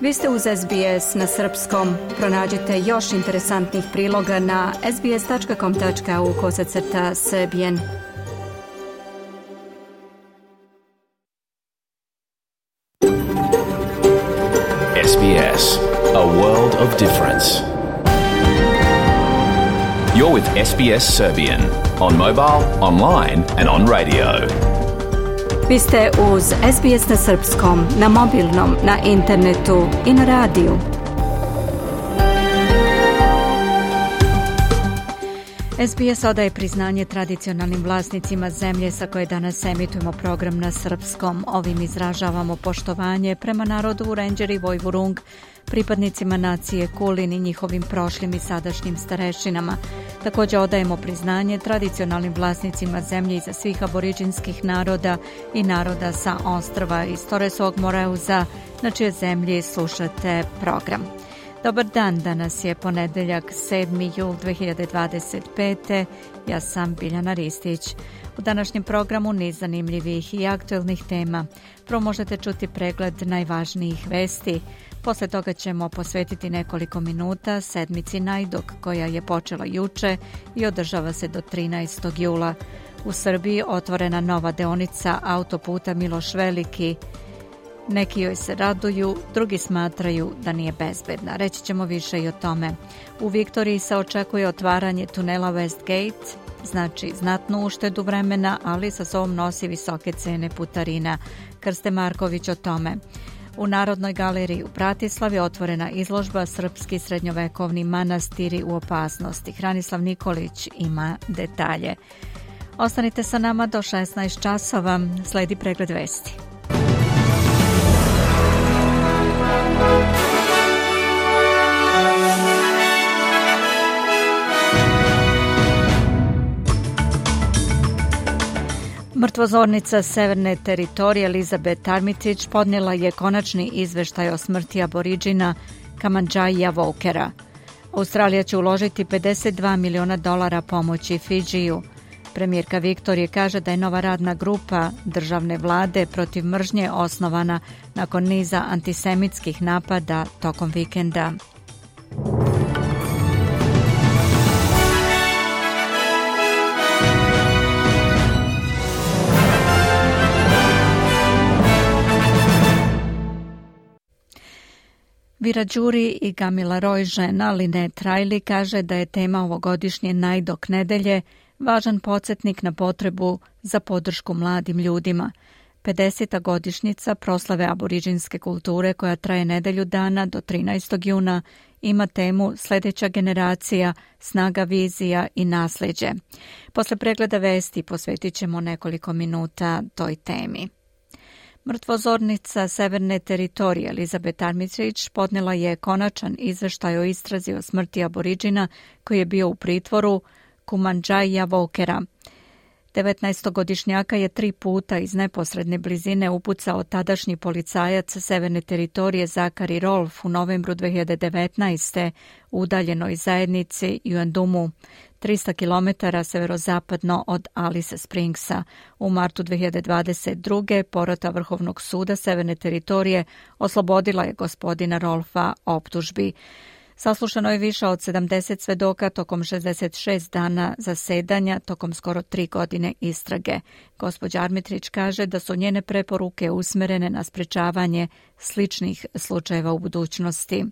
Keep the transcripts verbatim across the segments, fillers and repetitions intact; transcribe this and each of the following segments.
Vi ste uz S B S na srpskom. Pronađite još interesantnih priloga na sbs.com tačka au kosacrta srbijen. S B S, a world of difference. You're with S B S Serbian on mobile, online and on radio. Vi ste uz S B S na srpskom, na mobilnom, na internetu i na radiju. S B S odaje priznanje tradicionalnim vlasnicima zemlje sa koje danas emitujemo program na srpskom. Ovim izražavamo poštovanje prema narodu Rendžeri i Vojvurung, pripadnicima nacije Kulin i njihovim prošlim i sadašnjim starešinama. Također odajemo priznanje tradicionalnim vlasnicima zemlje iza svih aboriđinskih naroda i naroda sa ostrva iz Toresovog Moreuza, na čije zemlji slušate program. Dobar dan, danas je ponedeljak sedmi jul dve hiljade dvadeset pete. Ja sam Biljana Ristić. U današnjem programu niz zanimljivih i aktuelnih tema. Prvo možete čuti pregled najvažnijih vesti. Posle toga ćemo posvetiti nekoliko minuta sedmici Najdok, koja je počela juče i održava se do trinaestog jula. U Srbiji otvorena nova deonica autoputa Miloš Veliki. Neki joj se raduju, drugi smatraju da nije bezbedna. Reći ćemo više i o tome. U Viktoriji se očekuje otvaranje tunela Westgate, znači znatnu uštedu vremena, ali sa sobom nosi visoke cene putarina. Krste Marković o tome. U Narodnoj galeriji u Bratislavi otvorena izložba Srpski srednjovekovni manastiri u opasnosti. Hranislav Nikolić ima detalje. Ostanite sa nama do šesnaest časova, sledi pregled vesti. Mrtvozornica Severne teritorije Elizabeth Armitage podnijela je konačni izveštaj o smrti aboriđina Kamandžaija Vokera. Australija će uložiti pedeset dva miliona dolara pomoći Fidžiju. Premijerka Viktorije kaže da je nova radna grupa državne vlade protiv mržnje osnovana nakon niza antisemitskih napada tokom vikenda. Vira Đuri i Gamila Roy, žena Linet Riley, kaže da je tema ovogodišnje Najdok nedelje važan podsjetnik na potrebu za podršku mladim ljudima. pedeseta godišnjica proslave aboriđinske kulture koja traje nedelju dana do trinaestog juna ima temu Sljedeća generacija, snaga vizija i nasljeđe. Posle pregleda vesti posvetit ćemo nekoliko minuta toj temi. Mrtvozornica Severne teritorije Elizabeth Armitage podnijela je konačan izveštaj o istrazi o smrti aboriđina koji je bio u pritvoru Kamandžaija Vokera. devetnaestogodišnjaka je tri puta iz neposredne blizine upucao tadašnji policajac Severne teritorije Zakari Rolf u novembru dve hiljade devetnaeste u udaljenoj zajednici Yuendumu, trista kilometara severozapadno od Alice Springsa. U martu dve hiljade dvadeset druge. porota Vrhovnog suda Severne teritorije oslobodila je gospodina Rolfa optužbi. Saslušano je više od sedamdeset svedoka tokom šezdeset šest dana zasedanja, tokom skoro tri godine istrage. Gospođa Armitage kaže da su njene preporuke usmerene na sprečavanje sličnih slučajeva u budućnosti.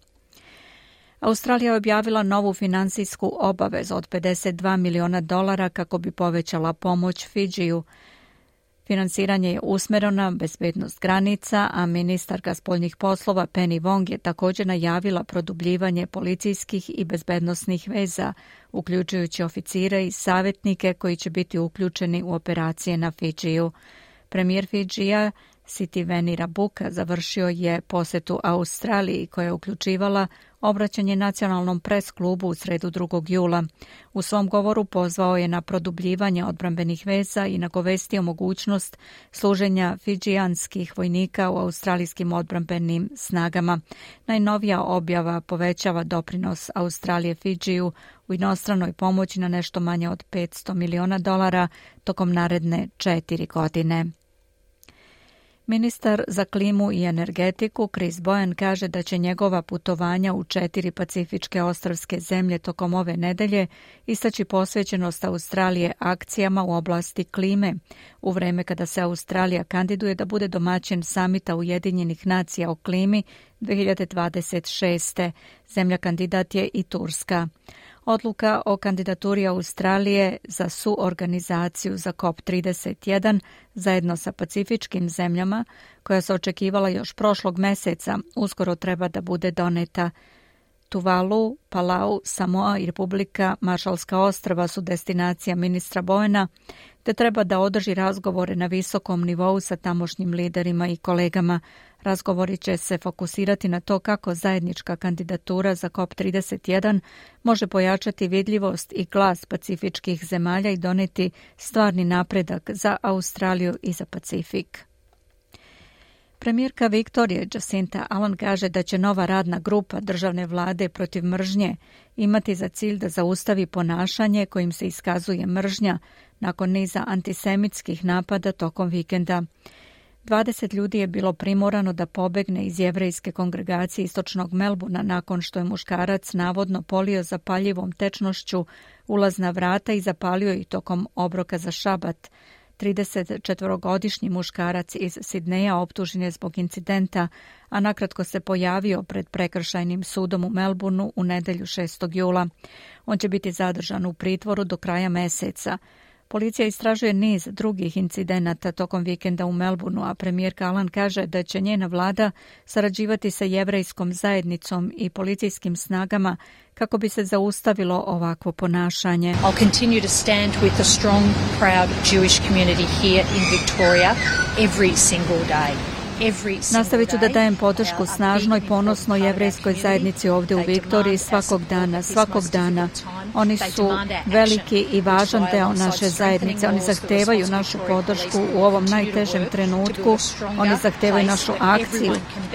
Australija je objavila novu finansijsku obavezu od pedeset dva miliona dolara kako bi povećala pomoć Fidžiju. Finansiranje je usmjereno na bezbednost granica, a ministarka spoljnih poslova Penny Wong je također najavila produbljivanje policijskih i bezbednosnih veza, uključujući oficire i savjetnike koji će biti uključeni u operacije na Fidžiju. Premijer Fidžija Sitiveni Rabuka završio je posjetu Australiji koja je uključivala obraćanje nacionalnom pres klubu u sredu drugog jula. U svom govoru pozvao je na produbljivanje odbrambenih veza i nagovestio mogućnost služenja fidžijanskih vojnika u australijskim odbrambenim snagama. Najnovija objava povećava doprinos Australije Fidžiju u inostranoj pomoći na nešto manje od petsto miliona dolara tokom naredne četiri godine. Ministar za klimu i energetiku Chris Bowen kaže da će njegova putovanja u četiri pacifičke ostrvske zemlje tokom ove nedelje istaći posvećenost Australije akcijama u oblasti klime, u vreme kada se Australija kandiduje da bude domaćin samita Ujedinjenih nacija o klimi dve hiljade dvadeset šeste. Zemlja kandidat je i Turska. Odluka o kandidaturi Australije za suorganizaciju za COP trideset jedan zajedno sa pacifičkim zemljama, koja se očekivala još prošlog meseca, uskoro treba da bude doneta. Tuvalu, Palau, Samoa i Republika Maršalska ostrva su destinacija ministra Bowena, te treba da održi razgovore na visokom nivou sa tamošnjim liderima i kolegama. Razgovori će se fokusirati na to kako zajednička kandidatura za COP trideset jedan može pojačati vidljivost i glas pacifičkih zemalja i doneti stvarni napredak za Australiju i za Pacifik. Premijerka Viktorije Jacinta Ardern kaže da će nova radna grupa državne vlade protiv mržnje imati za cilj da zaustavi ponašanje kojim se iskazuje mržnja nakon niza antisemitskih napada tokom vikenda. dvadeset ljudi je bilo primorano da pobegne iz jevrejske kongregacije istočnog Melbourna nakon što je muškarac navodno polio zapaljivom tečnošću ulazna vrata i zapalio ih tokom obroka za šabat. tridesetčetvorogodišnji muškarac iz Sidneja optužen je zbog incidenta, a nakratko se pojavio pred prekršajnim sudom u Melbourneu u nedelju šestog jula. On će biti zadržan u pritvoru do kraja meseca. Policija istražuje niz drugih incidenata tokom vikenda u Melbourneu, a premijerka Ardern kaže da će njena vlada sarađivati sa jevrejskom zajednicom i policijskim snagama kako bi se zaustavilo ovakvo ponašanje. I'll continue to stand with a strong, proud Jewish community here in Victoria every single day. Nastavit ću da dajem podršku snažnoj, ponosnoj jevrejskoj zajednici ovdje u Viktoriji svakog dana, svakog dana. Oni su veliki i važan deo naše zajednice. Oni zahtevaju našu podršku u ovom najtežem trenutku. Oni zahtevaju našu akciju,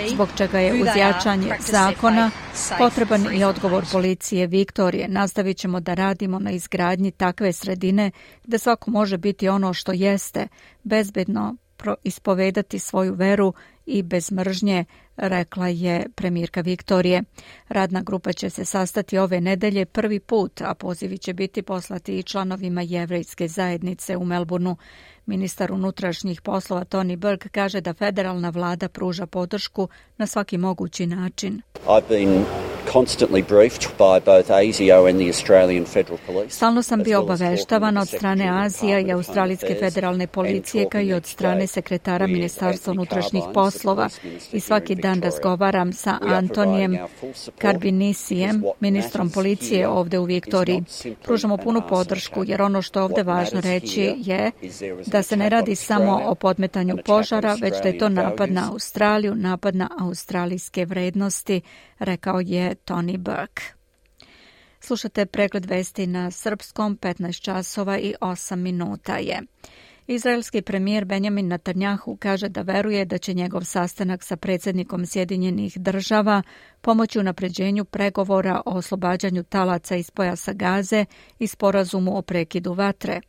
zbog čega je uz jačanje zakona potreban i odgovor policije Viktorije. Nastavit ćemo da radimo na izgradnji takve sredine gde svako može biti ono što jeste, bezbedno ispovedati svoju veru i bez mržnje, rekla je premijerka Viktorije. Radna grupa će se sastati ove nedelje prvi put, a pozivi će biti poslati i članovima jevrejske zajednice u Melbourneu. Ministar unutrašnjih poslova Tony Burke kaže da federalna vlada pruža podršku na svaki mogući način. I've been constantly briefed by both A S I O and the Australian Federal Police. Stalno sam bio obaveštavan od strane Azija i Australijske federalne policije, kao i od strane sekretara Ministarstva unutrašnjih poslova, i svaki dan razgovaram sa Antonijem Karbinisijem, ministrom policije ovdje u Viktoriji. Pružamo punu podršku, jer ono što je ovdje važno reći je da se ne radi samo o podmetanju požara, već da je to napad na Australiju, napad na australijske vrednosti, rekao je Tony Burke. Slušate pregled vesti na srpskom, petnaest časova i osam minuta je. Izraelski premijer Benjamin Netanjahu kaže da veruje da će njegov sastanak sa predsjednikom Sjedinjenih država pomoći u napređenju pregovora o oslobađanju talaca iz pojasa Gaze i sporazumu o prekidu vatre.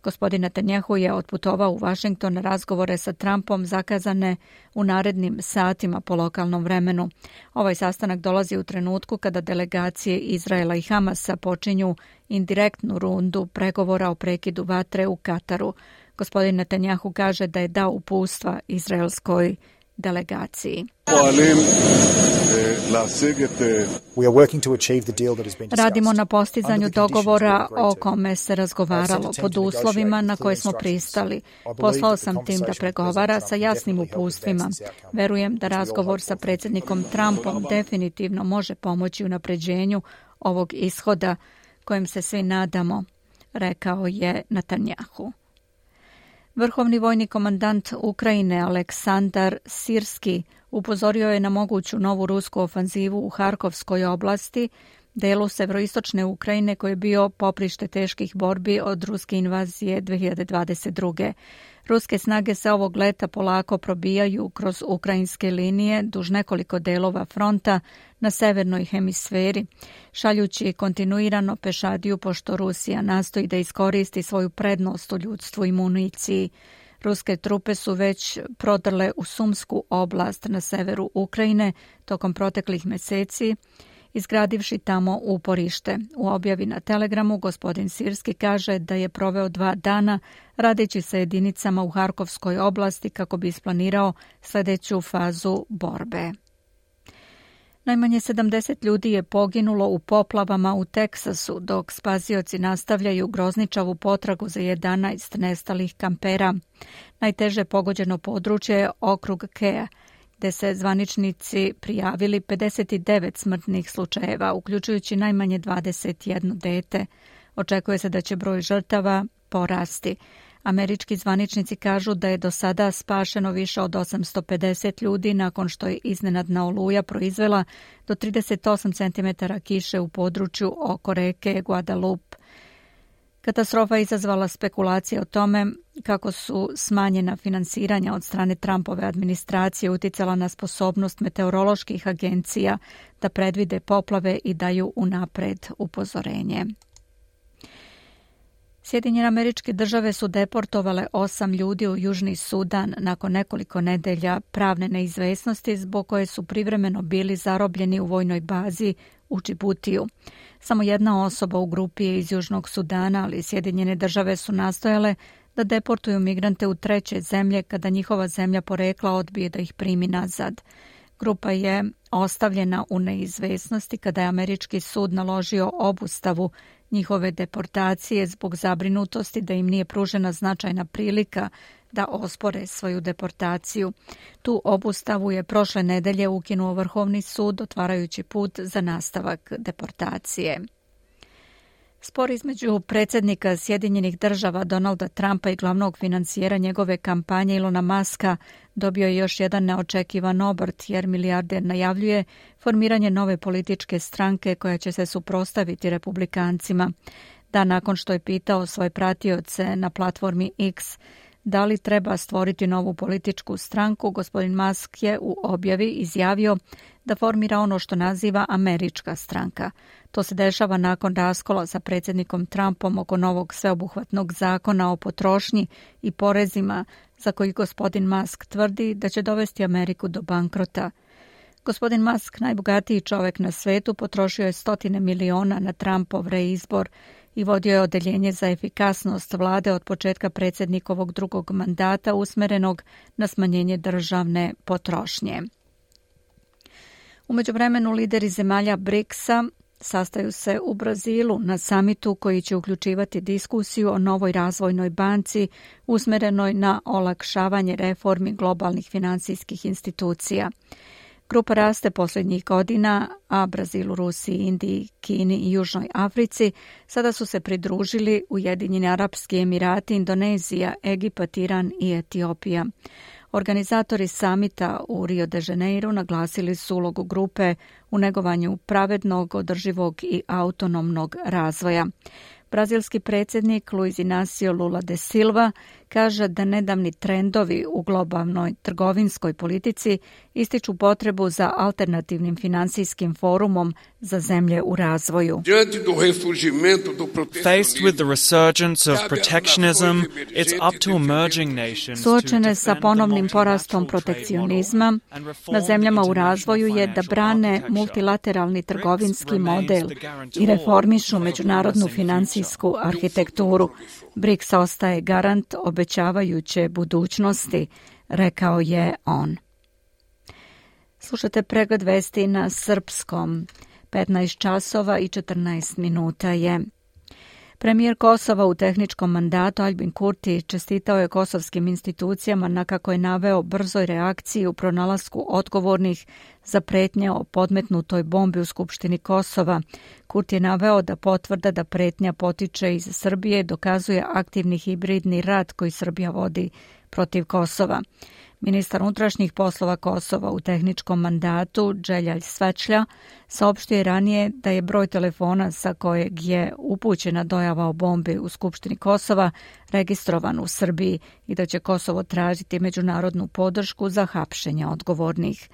Gospodin Netanjahu je otputovao u Washington na razgovore sa Trumpom zakazane u narednim satima po lokalnom vremenu. Ovaj sastanak dolazi u trenutku kada delegacije Izraela i Hamasa počinju indirektnu rundu pregovora o prekidu vatre u Kataru. Gospodin Netanjahu kaže da je dao uputstva izraelskoj delegaciji. Radimo na postizanju dogovora o kome se razgovaralo pod uslovima na koje smo pristali. Poslao sam tim da pregovara sa jasnim uputstvima. Verujem da razgovor sa predsjednikom Trumpom definitivno može pomoći u napređenju ovog ishoda kojem se svi nadamo, rekao je Netanjahu. Vrhovni vojni komandant Ukrajine Aleksandar Sirski upozorio je na moguću novu rusku ofanzivu u Harkovskoj oblasti, delu severoistočne Ukrajine koji je bio poprište teških borbi od ruske invazije dve hiljade dvadeset druge. Ruske snage se ovog leta polako probijaju kroz ukrajinske linije duž nekoliko delova fronta na severnoj hemisferi, šaljući kontinuirano pešadiju pošto Rusija nastoji da iskoristi svoju prednost u ljudstvu i municiji. Ruske trupe su već prodrle u Sumsku oblast na severu Ukrajine tokom proteklih meseci, izgradivši tamo uporište. U objavi na Telegramu gospodin Sirski kaže da je proveo dva dana radeći sa jedinicama u Harkovskoj oblasti kako bi isplanirao sljedeću fazu borbe. Najmanje sedamdeset ljudi je poginulo u poplavama u Teksasu, dok spasioci nastavljaju grozničavu potragu za jedanaest nestalih kampera. Najteže pogođeno područje je okrug Kea, gde se zvaničnici prijavili pedeset devet smrtnih slučajeva, uključujući najmanje dvadeset jedno dete. Očekuje se da će broj žrtava porasti. Američki zvaničnici kažu da je do sada spašeno više od osamsto pedeset ljudi nakon što je iznenadna oluja proizvela do trideset osam centimetara kiše u području oko reke Guadalupe. Katastrofa je izazvala spekulacije o tome kako su smanjena finansiranja od strane Trumpove administracije uticala na sposobnost meteoroloških agencija da predvide poplave i daju unapred upozorenje. Sjedinjene Američke Države su deportovale osam ljudi u Južni Sudan nakon nekoliko nedelja pravne neizvesnosti zbog koje su privremeno bili zarobljeni u vojnoj bazi u Džibutiju. Samo jedna osoba u grupi je iz Južnog Sudana, ali Sjedinjene Države su nastojale da deportuju migrante u treće zemlje kada njihova zemlja porekla odbije da ih primi nazad. Grupa je ostavljena u neizvesnosti kada je američki sud naložio obustavu njihove deportacije zbog zabrinutosti da im nije pružena značajna prilika da ospore svoju deportaciju. Tu obustavu je prošle nedelje ukinuo Vrhovni sud, otvarajući put za nastavak deportacije. Spor između predsjednika Sjedinjenih Država Donalda Trumpa i glavnog financijera njegove kampanje Ilona Muska dobio je još jedan neočekivan obrt jer milijarder najavljuje formiranje nove političke stranke koja će se suprotstaviti republikancima. Dan nakon što je pitao svoje pratioce na platformi X da li treba stvoriti novu političku stranku, gospodin Musk je u objavi izjavio da formira ono što naziva američka stranka. To se dešava nakon raskola sa predsjednikom Trumpom oko novog sveobuhvatnog zakona o potrošnji i porezima za koji gospodin Musk tvrdi da će dovesti Ameriku do bankrota. Gospodin Musk, najbogatiji čovjek na svetu, potrošio je stotine miliona na Trumpov reizbor i vodio je odeljenje za efikasnost vlade od početka predsjednikovog drugog mandata usmerenog na smanjenje državne potrošnje. U međuvremenu lideri zemalja briksa sastaju se u Brazilu na samitu koji će uključivati diskusiju o novoj razvojnoj banci usmerenoj na olakšavanje reformi globalnih financijskih institucija. Grupa raste posljednjih godina, a Brazilu, Rusiji, Indiji, Kini i Južnoj Africi sada su se pridružili Ujedinjeni Arapski Emirati, Indonezija, Egipat, Iran i Etiopija. Organizatori samita u Rio de Janeiro naglasili su ulogu grupe u negovanju pravednog, održivog i autonomnog razvoja. Brazilski predsjednik Luiz Inácio Lula da Silva kaže da nedavni trendovi u globalnoj trgovinskoj politici ističu potrebu za alternativnim financijskim forumom za zemlje u razvoju. Faced with the resurgence of protectionism, it's up to emerging nations. Suočene sa ponovnim porastom protekcionizma, na zemljama u razvoju je da brane multilateralni trgovinski model i reformišu međunarodnu financijsku arhitekturu. BRICS ostaje garant obećavajuće budućnosti, rekao je on. Slušate pregled vesti na srpskom. petnaest časova i četrnaest minuta je. Premijer Kosova u tehničkom mandatu Aljbin Kurti čestitao je kosovskim institucijama na kako je naveo brzoj reakciji u pronalasku odgovornih za pretnje o podmetnutoj bombi u Skupštini Kosova. Kurti je naveo da potvrda da pretnja potiče iz Srbije dokazuje aktivni hibridni rat koji Srbija vodi protiv Kosova. Ministar unutrašnjih poslova Kosova u tehničkom mandatu Dželjalj Svečlja saopštio je ranije da je broj telefona sa kojeg je upućena dojava o bombi u Skupštini Kosova registrovan u Srbiji i da će Kosovo tražiti međunarodnu podršku za hapšenje odgovornih.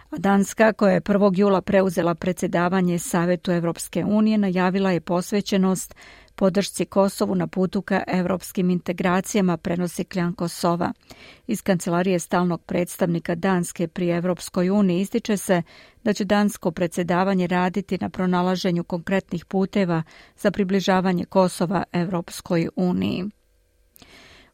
A Danska, koja je prvog jula preuzela predsjedavanje Savetu Evropske unije, najavila je posvećenost podršci Kosovu na putu ka evropskim integracijama, prenosi Kljanko Sova. Iz kancelarije stalnog predstavnika Danske pri Evropskoj uniji ističe se da će dansko predsjedavanje raditi na pronalaženju konkretnih puteva za približavanje Kosova Evropskoj uniji.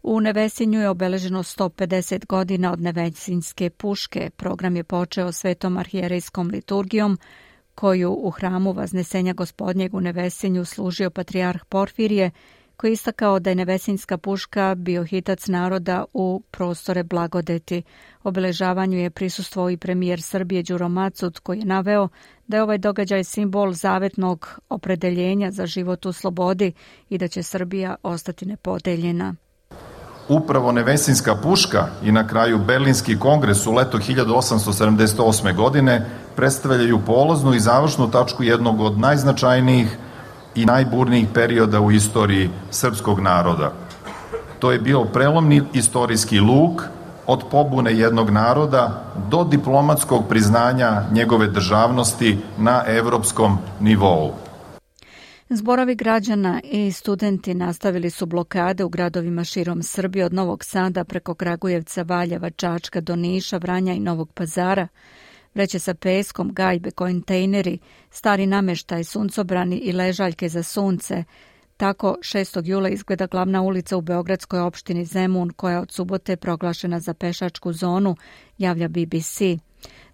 U Nevesinju je obeleženo sto pedeset godina od Nevesinjske puške. Program je počeo svetom arhijerejskom liturgijom, koju u hramu Vaznesenja Gospodnjeg u Nevesinju služio patrijarh Porfirije, koji je istakao da je Nevesinjska puška bio hitac naroda u prostore blagodeti. Obeležavanju je prisustvovao i premijer Srbije Đuro Macut, koji je naveo da je ovaj događaj simbol zavetnog opredeljenja za život u slobodi i da će Srbija ostati nepodeljena. Upravo Nevesinjska puška i na kraju Berlinski kongres u leto hiljadu osamsto sedamdeset osme. godine predstavljaju polaznu i završnu tačku jednog od najznačajnijih i najburnijih perioda u istoriji srpskog naroda. To je bio prelomni istorijski luk od pobune jednog naroda do diplomatskog priznanja njegove državnosti na evropskom nivou. Zborovi građana i studenti nastavili su blokade u gradovima širom Srbije od Novog Sada preko Kragujevca, Valjeva, Čačka do Niša, Vranja i Novog Pazara. Vreće sa peskom, gajbe, kontejneri, stari nameštaj, suncobrani i ležaljke za sunce. Tako šestog jula izgleda glavna ulica u beogradskoj opštini Zemun, koja od subote proglašena za pešačku zonu, javlja B B C.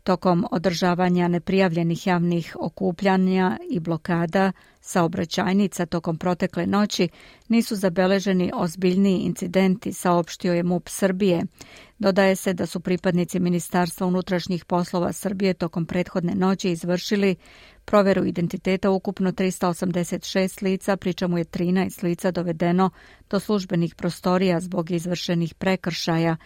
Tokom održavanja neprijavljenih javnih okupljanja i blokada saobraćajnica tokom protekle noći nisu zabeleženi ozbiljniji incidenti, saopštio je MUP Srbije. Dodaje se da su pripadnici Ministarstva unutrašnjih poslova Srbije tokom prethodne noći izvršili proveru identiteta ukupno tristo osamdeset šest lica, pri čemu je trinaest lica dovedeno do službenih prostorija zbog izvršenih prekršaja.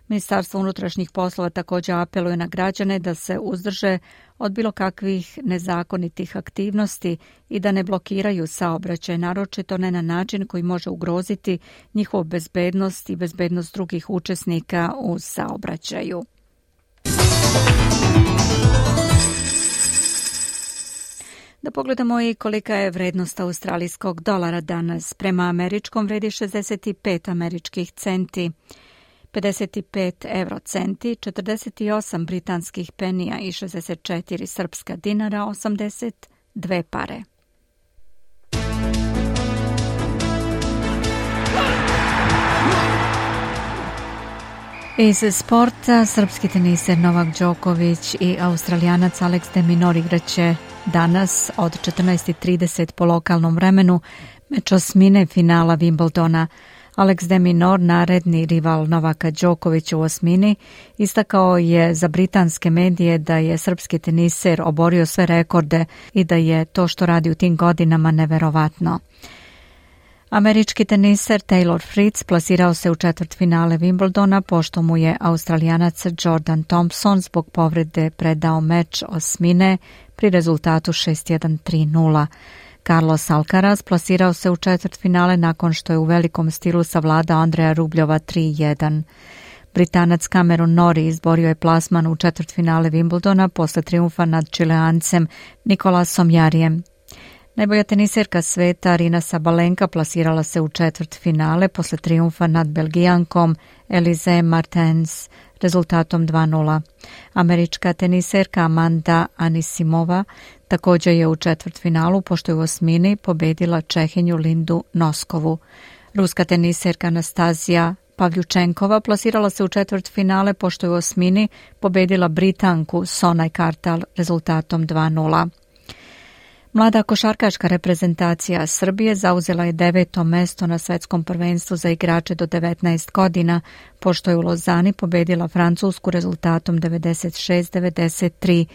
Ministarstvo unutrašnjih poslova također apeluje na građane da se uzdrže od bilo kakvih nezakonitih aktivnosti i da ne blokiraju saobraćaj, naročito ne na način koji može ugroziti njihovu bezbednost i bezbednost drugih učesnika u saobraćaju. Da pogledamo i kolika je vrednost australijskog dolara danas. Prema američkom vredi šezdeset pet američkih centi, pedeset pet eurocenti, četrdeset osam britanskih penija i šezdeset četiri srpska dinara, osamdeset dve pare. Iz sporta, srpski teniser Novak Đoković i Australijanac Alex de Minaur igraće danas od četrnaest trideset po lokalnom vremenu meč osmine finala Wimbledona. Alex de Minaur, naredni rival Novaka Đokovića u osmini, istakao je za britanske medije da je srpski teniser oborio sve rekorde i da je to što radi u tim godinama neverovatno. Američki teniser Taylor Fritz plasirao se u četvrtfinale Wimbledona pošto mu je Australijanac Jordan Thompson zbog povrede predao meč osmine pri rezultatu šest jedan tri nula. Carlos Alcaraz plasirao se u četvrtfinale nakon što je u velikom stilu savladao Andreja Rubljova tri jedan. Britanac Cameron Norrie izborio je plasman u četvrtfinale Wimbledona posle trijumfa nad Čileancem Nikolasom Jarijem. Najbolja teniserka sveta Arina Sabalenka plasirala se u četvrtfinale posle trijumfa nad Belgijankom Elise Martens rezultatom dva nula. Američka teniserka Amanda Anisimova također je u četvrtfinalu pošto je u osmini pobedila Čehinju Lindu Noskovu. Ruska teniserka Anastazija Pavljučenkova plasirala se u četvrtfinale pošto je u osmini pobedila Britanku Sonaj Kartal rezultatom dva nula. Mlada košarkaška reprezentacija Srbije zauzela je deveto mesto na svetskom prvenstvu za igrače do devetnaest godina, pošto je u Lozani pobedila Francusku rezultatom devedeset šest devedeset tri.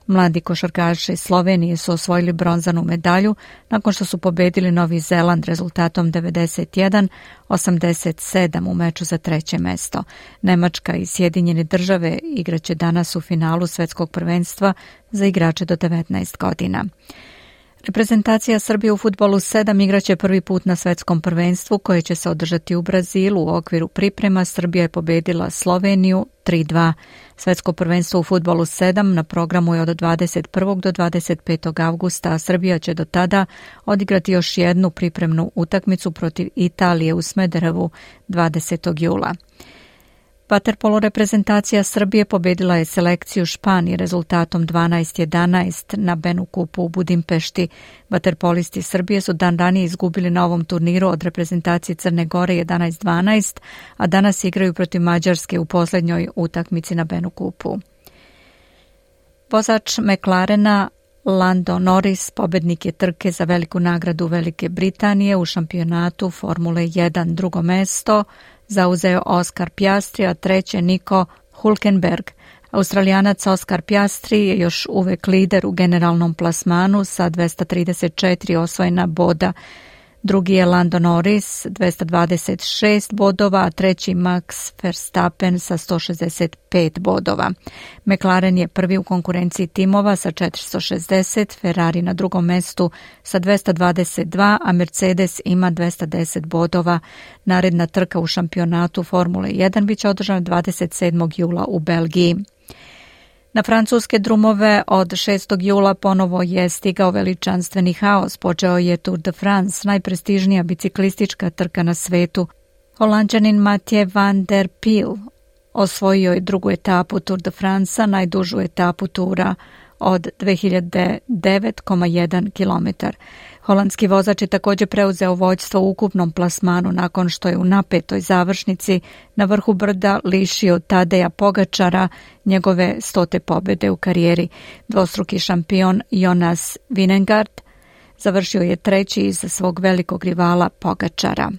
Mladi košarkaši Slovenije su osvojili bronzanu medalju nakon što su pobedili Novi Zeland rezultatom devedeset jedan osamdeset sedam u meču za treće mesto. Nemačka i Sjedinjene države igraće danas u finalu svetskog prvenstva za igrače do devetnaest godina. Reprezentacija Srbije u fudbalu sedam igraće prvi put na svetskom prvenstvu koje će se održati u Brazilu. U okviru priprema Srbija je pobedila Sloveniju tri dva. Svetsko prvenstvo u fudbalu sedam na programu je od dvadeset prvog do dvadeset petog avgusta, a Srbija će do tada odigrati još jednu pripremnu utakmicu protiv Italije u Smederevu dvadesetog jula. Vaterpolo reprezentacija Srbije pobedila je selekciju Španije rezultatom dvanaest jedanaest na Benu Kupu u Budimpešti. Vaterpolisti Srbije su dan ranije izgubili na ovom turniru od reprezentacije Crne Gore jedanaest dvanaest, a danas igraju protiv Mađarske u posljednjoj utakmici na Benu Kupu. Vozač McLarena Lando Norris pobednik je trke za veliku nagradu Velike Britanije u šampionatu Formule jedan. Drugo mesto zauzeo Oscar Piastri, a treće Nico Hülkenberg. Australijanac Oscar Piastri je još uvek lider u generalnom plasmanu sa dvesta trideset četiri osvojena boda. Drugi je Lando Norris, dvesta dvadeset šest bodova, a treći Max Verstappen sa sto šezdeset pet bodova. McLaren je prvi u konkurenciji timova sa četiristo šezdeset, Ferrari na drugom mestu sa dvesta dvadeset dva, a Mercedes ima dvesta deset bodova. Naredna trka u šampionatu Formule jedan biće održana dvadeset sedmog jula u Belgiji. Na francuske drumove od šestog jula ponovo je stigao veličanstveni haos. Počeo je Tour de France, najprestižnija biciklistička trka na svetu. Holanđanin Mathieu van der Poel osvojio je drugu etapu Tour de France, najdužu etapu tura od dve hiljade devet zarez jedan kilometar. Holandski vozač je također preuzeo vođstvo u ukupnom plasmanu nakon što je u napetoj završnici na vrhu brda lišio Tadeja Pogačara njegove stote pobjede u karijeri. Dvostruki šampion Jonas Vingegaard završio je treći iza svog velikog rivala Pogačara.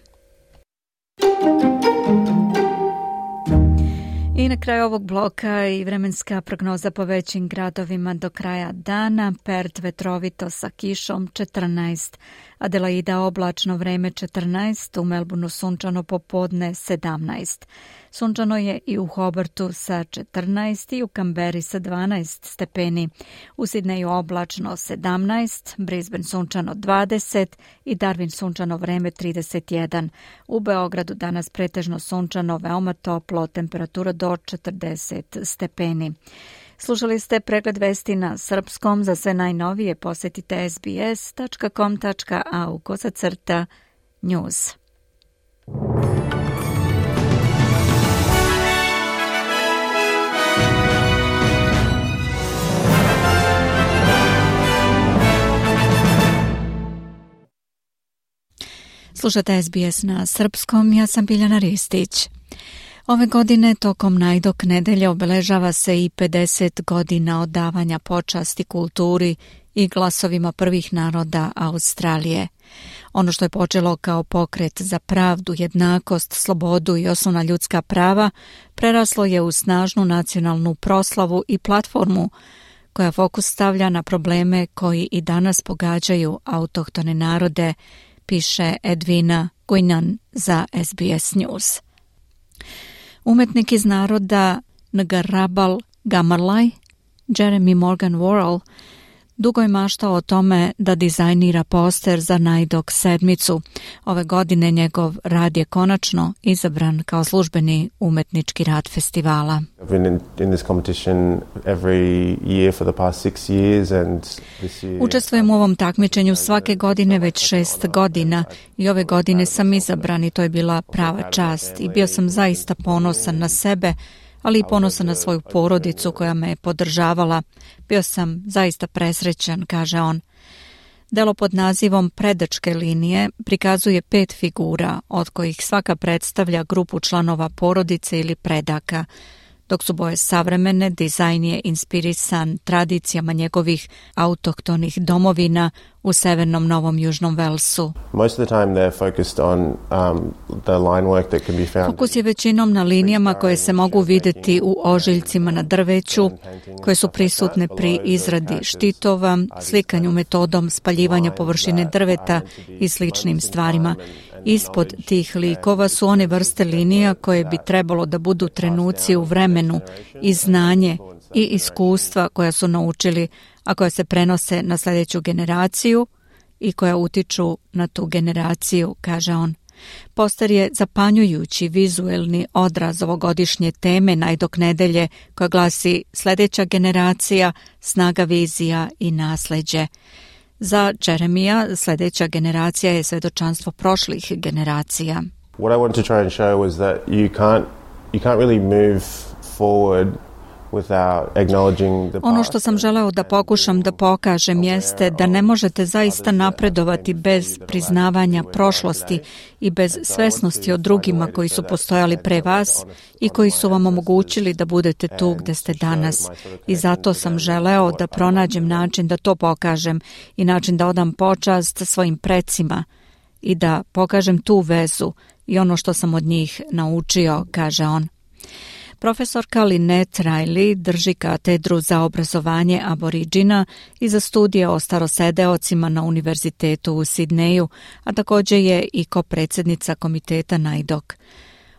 I na kraju ovog bloka i vremenska prognoza po većim gradovima do kraja dana. Perth vetrovito sa kišom četrnaest, Adelaida oblačno vreme četrnaest, u Melbourneu sunčano popodne sedamnaest. Sunčano je i u Hobartu sa četrnaest i u Kamberi sa dvanaest stepeni. U Sidneju oblačno sedamnaest, Brisbane sunčano dvadeset i Darwin sunčano vreme trideset jedan. U Beogradu danas pretežno sunčano, veoma toplo, temperatura do četrdeset stepeni. Slušali ste pregled vesti na srpskom. Za sve najnovije posjetite es be es tačka com tačka a u kosacrta news. Slušate es be es na srpskom, ja sam Biljana Ristić. Ove godine tokom Najdok nedelje obeležava se i pedeset godina odavanja počasti kulturi i glasovima prvih naroda Australije. Ono što je počelo kao pokret za pravdu, jednakost, slobodu i osnovna ljudska prava preraslo je u snažnu nacionalnu proslavu i platformu koja fokus stavlja na probleme koji i danas pogađaju autohtone narode, piše Edwina Guinan za es be es News. Umetnik iz naroda Ngarabal Gamarlaj, Jeremy Morgan Worrell, dugo je maštao o tome da dizajnira poster za Najdok sedmicu. Ove godine njegov rad je konačno izabran kao službeni umetnički rad festivala. Učestvujem u ovom takmičenju svake godine već šest godina i ove godine sam izabran i to je bila prava čast i bio sam zaista ponosan na sebe, ali i ponosan na svoju porodicu koja me je podržavala. Bio sam zaista presrećan, kaže on. Delo pod nazivom Predačke linije prikazuje pet figura, od kojih svaka predstavlja grupu članova porodice ili predaka. Dok su boje savremene, dizajn je inspirisan tradicijama njegovih autohtonih domovina u severnom Novom Južnom Velsu. Fokus je većinom na linijama koje se mogu vidjeti u ožiljcima na drveću, koje su prisutne pri izradi štitova, slikanju metodom spaljivanja površine drveta i sličnim stvarima. Ispod tih likova su one vrste linija koje bi trebalo da budu trenuci u vremenu i znanje i iskustva koja su naučili, a koja se prenose na sljedeću generaciju i koja utiču na tu generaciju, kaže on. Poster je zapanjujući vizuelni odraz ovogodišnje teme Najdok nedelje koja glasi sljedeća generacija, snaga vizija i nasleđe. Za Jeremija sljedeća generacija je svjedočanstvo prošlih generacija. What I want to try and show was that you can't you can't really move forward Ono što sam želeo da pokušam da pokažem jeste da ne možete zaista napredovati bez priznavanja prošlosti i bez svesnosti o drugima koji su postojali pre vas i koji su vam omogućili da budete tu gde ste danas. I zato sam želeo da pronađem način da to pokažem i način da odam počast svojim precima i da pokažem tu vezu i ono što sam od njih naučio, kaže on. Profesorka Lynette Riley drži katedru za obrazovanje aboriđina i za studije o starosedeocima na Univerzitetu u Sidneju, a također je i kopredsjednica komiteta Najdok.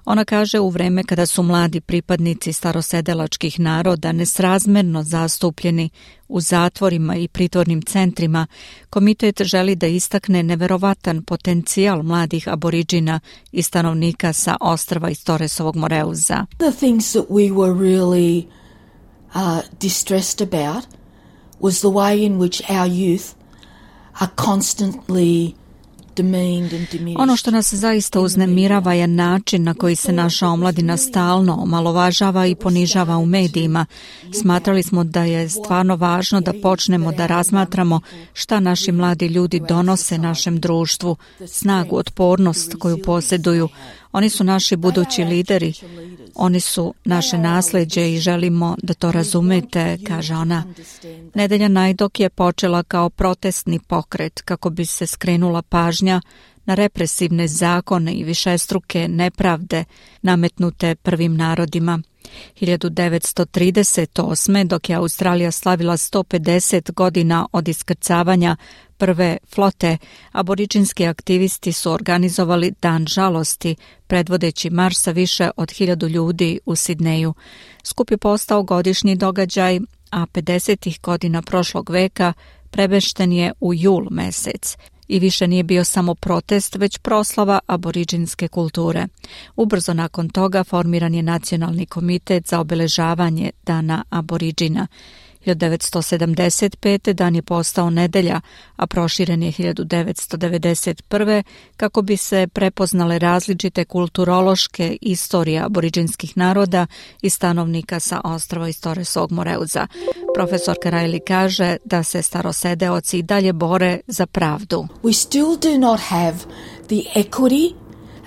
Ona kaže u vreme kada su mladi pripadnici starosedelačkih naroda nesrazmerno zastupljeni u zatvorima i pritvornim centrima, komitet želi da istakne neverovatan potencijal mladih aboriđina i stanovnika sa ostrva iz Torresovog Moreuza. The things that we were really uh, distressed about was the way in which our youth are constantly Ono što nas zaista uznemirava je način na koji se naša omladina stalno omalovažava i ponižava u medijima. Smatrali smo da je stvarno važno da počnemo da razmatramo šta naši mladi ljudi donose našem društvu, snagu, otpornost koju posjeduju. Oni su naši budući lideri, oni su naše nasleđe i želimo da to razumete, kaže ona. Nedelja Najdok je počela kao protestni pokret kako bi se skrenula pažnja na represivne zakone i višestruke nepravde nametnute prvim narodima. hiljadu devetsto trideset osme. dok je Australija slavila sto pedeset godina od iskrcavanja prve flote, aboriđinski aktivisti su organizovali dan žalosti, predvodeći marš sa više od hiljadu ljudi u Sidneju. Skup je postao godišnji događaj, a pedesetih godina prošlog veka premešten je u jul mesec i više nije bio samo protest, već proslava aboriđinske kulture. Ubrzo nakon toga formiran je Nacionalni komitet za obeležavanje Dana aboriđina. hiljadu devetsto sedamdeset pete. dan je postao nedelja, a proširen je hiljadu devetsto devedeset prve. kako bi se prepoznale različite kulturološke istorije aboriđinskih naroda i stanovnika sa ostrva iz Torresovog Moreuza. Profesorka Riley kaže da se starosedeoci i dalje bore za pravdu. We still do not have the equity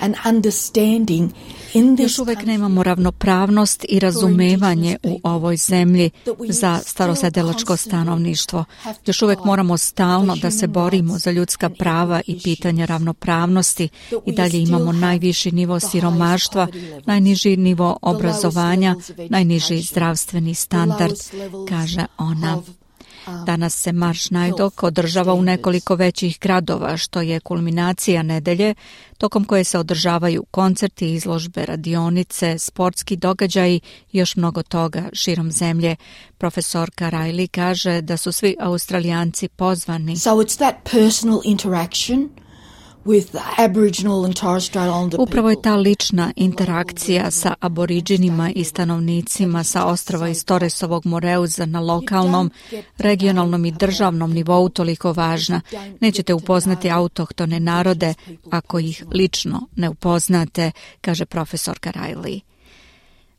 and understanding in this. Još uvijek nemamo ravnopravnost i razumevanje u ovoj zemlji za starosedelačko stanovništvo. Još uvijek moramo stalno da se borimo za ljudska prava i pitanja ravnopravnosti i dalje imamo najviši nivo siromaštva, najniži nivo obrazovanja, najniži zdravstveni standard, kaže ona. Danas se Marš Najdok održava u nekoliko većih gradova, što je kulminacija nedelje, tokom koje se održavaju koncerti, izložbe, radionice, sportski događaji i još mnogo toga širom zemlje. Profesorka Riley kaže da su svi Australijanci pozvani. So it's that personal interaction with Aboriginal and Torres Strait Islander people. Upravo je ta lična interakcija sa aboriđinima i stanovnicima sa ostrva iz Torresovog Moreuza na lokalnom, regionalnom i državnom nivou toliko važna. Nećete upoznati autohtone narode ako ih lično ne upoznate, kaže profesorka Riley.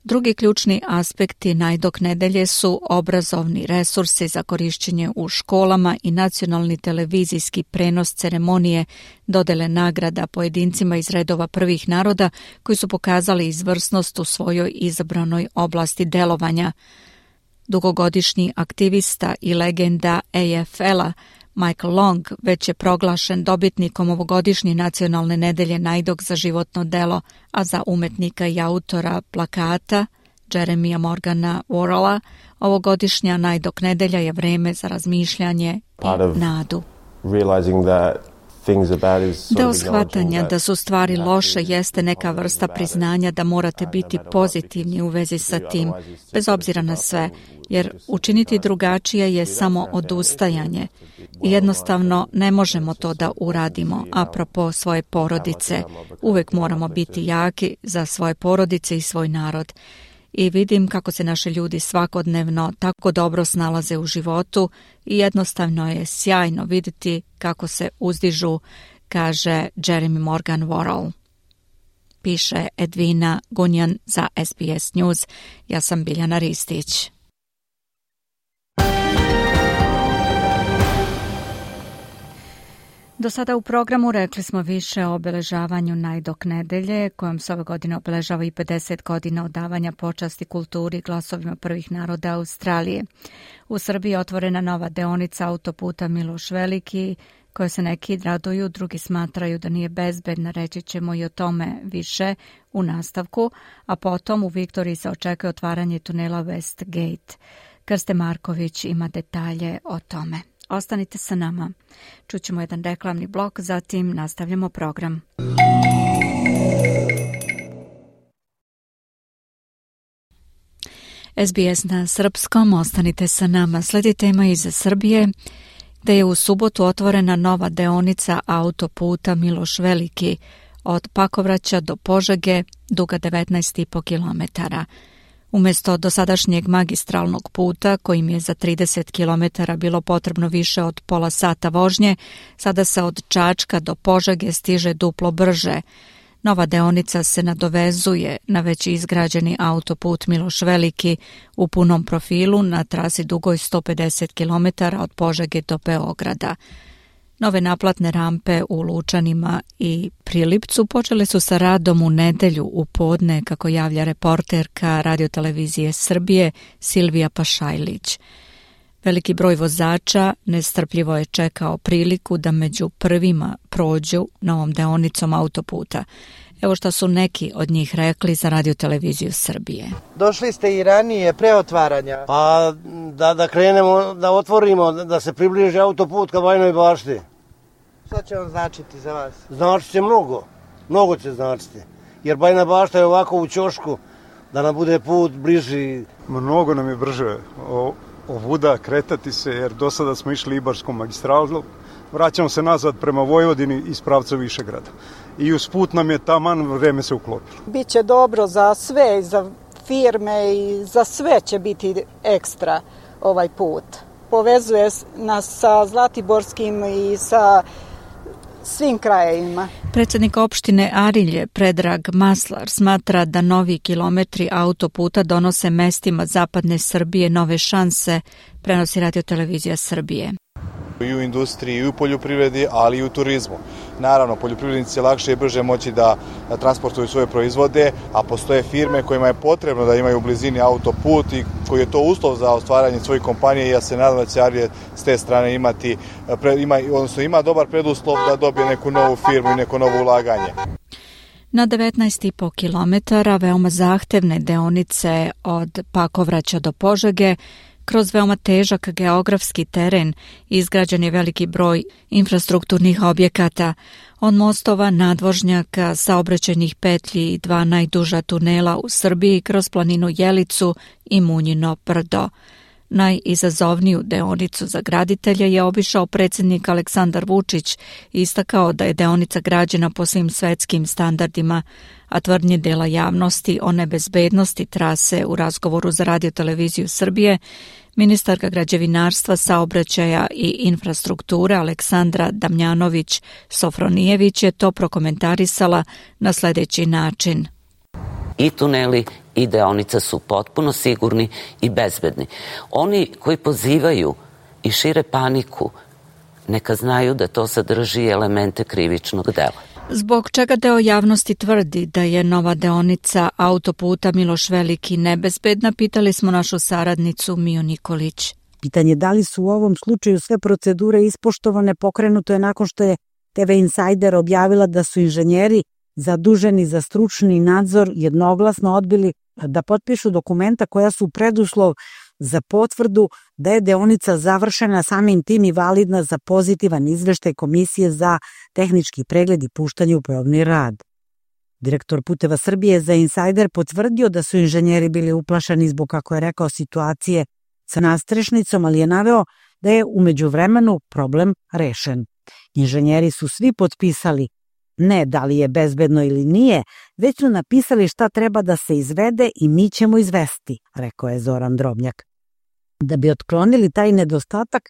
Drugi ključni aspekti Najdok nedelje su obrazovni resursi za korišćenje u školama i nacionalni televizijski prenos ceremonije dodele nagrada pojedincima iz redova prvih naroda koji su pokazali izvrsnost u svojoj izabranoj oblasti delovanja. Dugogodišnji aktivista i legenda A F L-a Michael Long već je proglašen dobitnikom ovogodišnje nacionalne nedelje Najdok za životno delo, a za umetnika i autora plakata Jeremija Morgana Worrella ovogodišnja Najdok nedelja je vreme za razmišljanje i nadu. Deo shvatanja da su stvari loše jeste neka vrsta priznanja da morate biti pozitivni u vezi sa tim, bez obzira na sve, jer učiniti drugačije je samo odustajanje. I jednostavno ne možemo to da uradimo, apropo svoje porodice. Uvek moramo biti jaki za svoje porodice i svoj narod. I vidim kako se naši ljudi svakodnevno tako dobro snalaze u životu i jednostavno je sjajno vidjeti kako se uzdižu, kaže Jeremy Morgan Worrell. Piše Edvina Gunjan za S B S News. Ja sam Biljana Ristić. Do sada u programu rekli smo više o obeležavanju Najdok nedelje, kojom se ove godine obeležava i pedeset godina odavanja počasti kulturi glasovima prvih naroda Australije. U Srbiji je otvorena nova deonica autoputa Miloš Veliki, koje se neki raduju, drugi smatraju da nije bezbedna, reći ćemo i o tome više u nastavku, a potom u Viktoriji se očekuje otvaranje tunela West Gate. Krste Marković ima detalje o tome. Ostanite sa nama. Čućemo jedan reklamni blok, zatim nastavljamo program. S B S na srpskom, ostanite sa nama. Sledi tema iz Srbije, gde je u subotu otvorena nova deonica autoputa Miloš Veliki od Pakovraća do Požege, duga devetnaest i po kilometara. Umjesto dosadašnjeg magistralnog puta, kojim je za trideset kilometara bilo potrebno više od pola sata vožnje, sada se od Čačka do Požege stiže duplo brže. Nova deonica se nadovezuje na već izgrađeni autoput Miloš Veliki u punom profilu na trasi dugoj sto pedeset kilometara od Požege do Beograda. Nove naplatne rampe u Lučanima i Prilipcu počele su sa radom u nedelju u podne, kako javlja reporterka radiotelevizije Srbije Silvija Pašajlić. Veliki broj vozača nestrpljivo je čekao priliku da među prvima prođu novom deonicom autoputa. Evo što su neki od njih rekli za radioteleviziju Srbije. Došli ste i ranije pre otvaranja? Pa da, da krenemo, da otvorimo, da se približi autoput ka Bajinoj Bašti. Šta će on značiti za vas? Znači će mnogo, mnogo će značiti. Jer Bajina Bašta je ovako u ćošku, da nam bude put bliži. Mnogo nam je brže ovuda kretati se, jer do sada smo išli Ibarskom magistralom. Vraćamo se nazad prema Vojvodini iz pravca Višegrada. I usput nam je taman vreme se uklopilo. Biće dobro za sve, za firme i za sve će biti ekstra ovaj put. Povezuje nas sa Zlatiborskim i sa svim krajevima. Predsjednik opštine Arilje, Predrag Maslar, smatra da novi kilometri autoputa donose mestima zapadne Srbije nove šanse, prenosi radiotelevizija Srbije. I u industriji, i u poljoprivredi, ali i u turizmu. Naravno, poljoprivrednici će lakše i brže moći da transportuju svoje proizvode, a postoje firme kojima je potrebno da imaju u blizini autoput i koji je to uslov za ostvaranje svojih kompanije i ja se nadam da će Arije s te strane imati, ima, odnosno ima dobar preduslov da dobije neku novu firmu i neko novo ulaganje. Na devetnaest i po kilometara veoma zahtevne deonice od Pakovraća do Požege, kroz veoma težak geografski teren izgrađen je veliki broj infrastrukturnih objekata, od mostova, nadvožnjaka, saobraćajnih petlji i dva najduža tunela u Srbiji kroz planinu Jelicu i Munjino brdo. Najizazovniju deonicu za graditelje je obišao predsjednik Aleksandar Vučić i istakao da je deonica građena po svim svetskim standardima, a tvrdnje dela javnosti o nebezbednosti trase u razgovoru za radioteleviziju Srbije, ministarka građevinarstva, saobraćaja i infrastrukture Aleksandra Damjanović-Sofronijević je to prokomentarisala na sljedeći način. I tuneli i deonica su potpuno sigurni i bezbedni. Oni koji pozivaju i šire paniku, neka znaju da to sadrži elemente krivičnog dela. Zbog čega deo javnosti tvrdi da je nova deonica autoputa Miloš Veliki nebezbedna, pitali smo našu saradnicu Miju Nikolić. Pitanje da li su u ovom slučaju sve procedure ispoštovane pokrenuto je nakon što je T V Insider objavila da su inženjeri zaduženi za stručni nadzor jednoglasno odbili da potpišu dokumenta koja su preduslov za potvrdu da je deonica završena, samim tim i validna za pozitivan izveštaj Komisije za tehnički pregled i puštanje u probni rad. Direktor Puteva Srbije za Insider potvrdio da su inženjeri bili uplašeni zbog, kako je rekao, situacije sa nastrešnicom, ali je naveo da je u međuvremenu problem rešen. Inženjeri su svi potpisali ne da li je bezbedno ili nije, već su napisali šta treba da se izvede i mi ćemo izvesti, rekao je Zoran Drobnjak. Da bi otklonili taj nedostatak,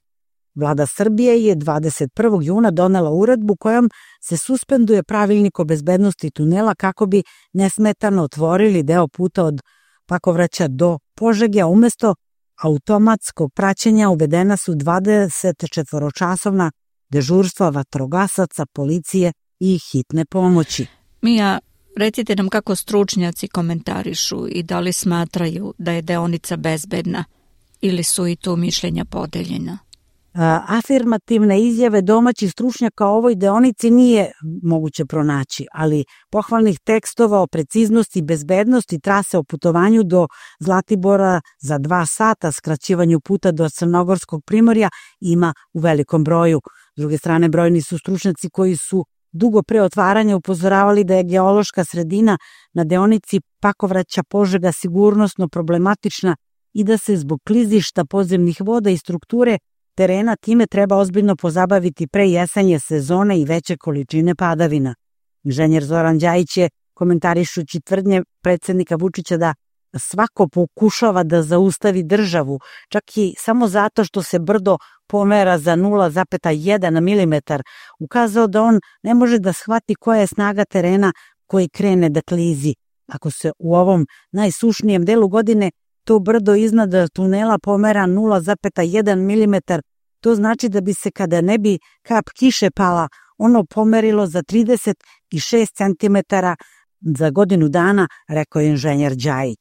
Vlada Srbije je dvadeset prvog juna donela uredbu kojom se suspenduje pravilnik o bezbednosti tunela kako bi nesmetano otvorili deo puta od Pakovraća do Požege, a umesto automatskog praćenja uvedena su dvadesetčetvoročasovna dežurstva vatrogasaca, policije i hitne pomoći. Mija, recite nam kako stručnjaci komentarišu i da li smatraju da je deonica bezbedna ili su i tu mišljenja podeljena? Afirmativne izjave domaćih stručnjaka o ovoj deonici nije moguće pronaći, ali pohvalnih tekstova o preciznosti i bezbednosti trase o putovanju do Zlatibora za dva sata, skraćivanju puta do Crnogorskog primorja ima u velikom broju. S druge strane, brojni su stručnjaci koji su dugo pre otvaranja upozoravali da je geološka sredina na deonici Pakovraća Požega sigurnosno problematična i da se zbog klizišta podzemnih voda i strukture terena time treba ozbiljno pozabaviti pre jesenje sezone i veće količine padavina. Inženjer Zoran Đajić je, komentarišući tvrdnje predsjednika Vučića da svako pokušava da zaustavi državu, čak i samo zato što se brdo pomera za nula zarez jedan milimetar, ukazao da on ne može da shvati koja je snaga terena koji krene da klizi. Ako se u ovom najsušnijem delu godine to brdo iznad tunela pomera nula zarez jedan milimetar, to znači da bi se kada ne bi kap kiše pala, ono pomerilo za trideset šest centimetara za godinu dana, rekao je inženjer Đajić.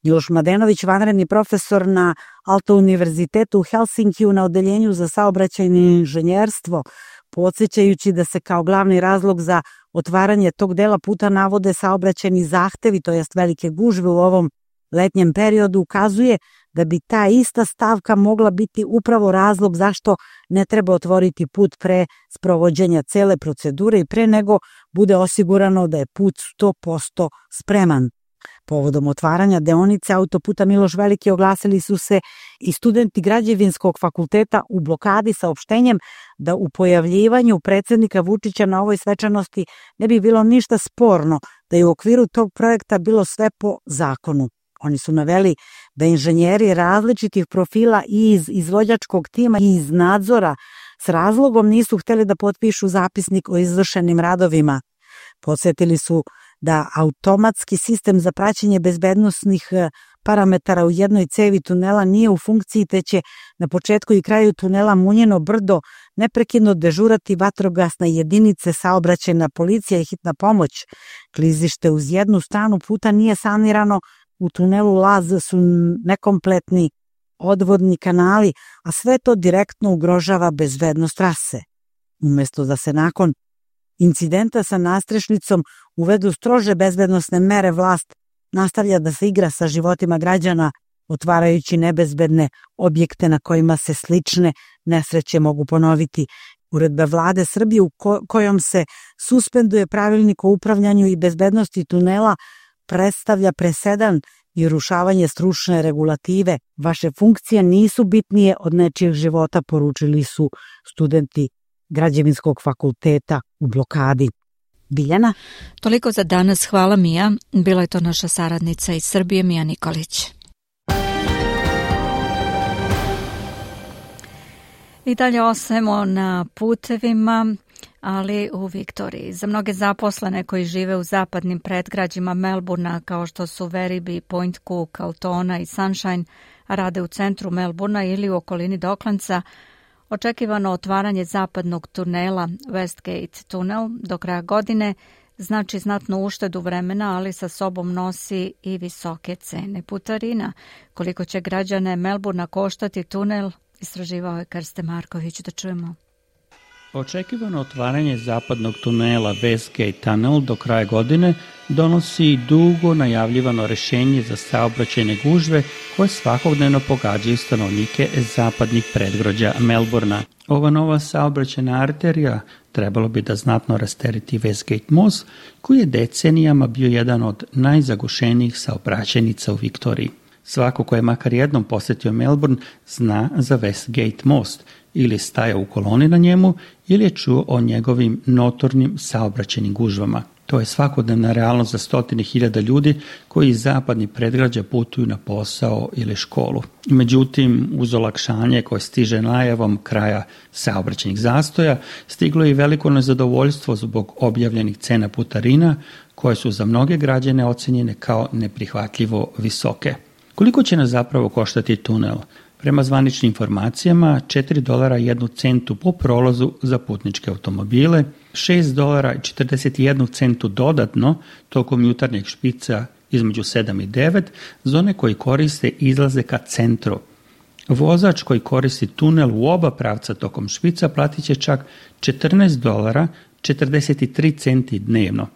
Miloš Mladenović, vanredni profesor na Aalto univerzitetu u Helsinkiju na odeljenju za saobraćajno inženjerstvo, podsjećajući da se kao glavni razlog za otvaranje tog dela puta navode saobraćajni zahtevi, to jest velike gužve u ovom letnjem periodu, ukazuje da bi ta ista stavka mogla biti upravo razlog zašto ne treba otvoriti put pre sprovođenja cele procedure i pre nego bude osigurano da je put sto posto spreman. Povodom otvaranja deonice autoputa Miloš Veliki oglasili su se i studenti Građevinskog fakulteta u blokadi saopštenjem da u pojavljivanju predsjednika Vučića na ovoj svečanosti ne bi bilo ništa sporno, da je u okviru tog projekta bilo sve po zakonu. Oni su naveli da inženjeri različitih profila i iz izvođačkog tima i iz nadzora s razlogom nisu hteli da potpišu zapisnik o izvršenim radovima. Podsjetili su da automatski sistem za praćenje bezbednosnih parametara u jednoj cevi tunela nije u funkciji, te će na početku i kraju tunela Munjeno brdo neprekidno dežurati vatrogasne jedinice, saobraćajna policija i hitna pomoć. Klizište uz jednu stranu puta nije sanirano, u tunelu Laz su nekompletni odvodni kanali, a sve to direktno ugrožava bezbednost trase. Umesto da se nakon incidenta sa nastrešnicom uvedu strože bezbednosne mere, vlast nastavlja da se igra sa životima građana, otvarajući nebezbedne objekte na kojima se slične nesreće mogu ponoviti. Uredba Vlade Srbije u kojom se suspenduje pravilnik o upravljanju i bezbednosti tunela predstavlja presedan i urušavanje stručne regulative. Vaše funkcije nisu bitnije od nečijeg života, poručili su studenti Građevinskog fakulteta u blokadi. Biljana? Toliko za danas, hvala Mija. Bila je to naša saradnica iz Srbije, Mija Nikolić. I dalje ostajemo na putevima, ali u Viktoriji. Za mnoge zaposlene koji žive u zapadnim predgrađima Melbourna, kao što su Werribee, Point Cook, Altona i Sunshine, a rade u centru Melbourna ili u okolini Docklandsa, očekivano otvaranje zapadnog tunela Westgate tunel do kraja godine znači znatnu uštedu vremena, ali sa sobom nosi i visoke cene putarina. Koliko će građane Melbourna koštati tunel, istraživao je Krste Marković. Da čujemo. Očekivano otvaranje zapadnog tunela Westgate Tunnel do kraja godine donosi dugo najavljivano rešenje za saobraćajne gužve koje svakodnevno pogađaju stanovnike zapadnih predgrađa Melbourna. Ova nova saobraćajna arterija trebalo bi da znatno rastereti Westgate most, koji je decenijama bio jedan od najzagušenijih saobraćajnica u Viktoriji. Svako ko je makar jednom posjetio Melbourne zna za Westgate most, ili stajao u koloni na njemu, ili je čuo o njegovim notornim saobraćajnim gužvama. To je svakodnevna realnost za stotine hiljada ljudi koji iz zapadnih predgrađa putuju na posao ili školu. Međutim, uz olakšanje koje stiže najavom kraja saobraćajnih zastoja, stiglo je i veliko nezadovoljstvo zbog objavljenih cena putarina, koje su za mnoge građane ocenjene kao neprihvatljivo visoke. Koliko će nas zapravo koštati tunel? Prema zvaničnim informacijama, četiri dolara i jednu centu po prolazu za putničke automobile, šest dolara i četrdeset jednu centu dodatno tokom jutarnjeg špica između sedam i devet za one koji koriste izlaze ka centru. Vozač koji koristi tunel u oba pravca tokom špica platit će čak četrnaest dolara četrdeset tri centi dnevno.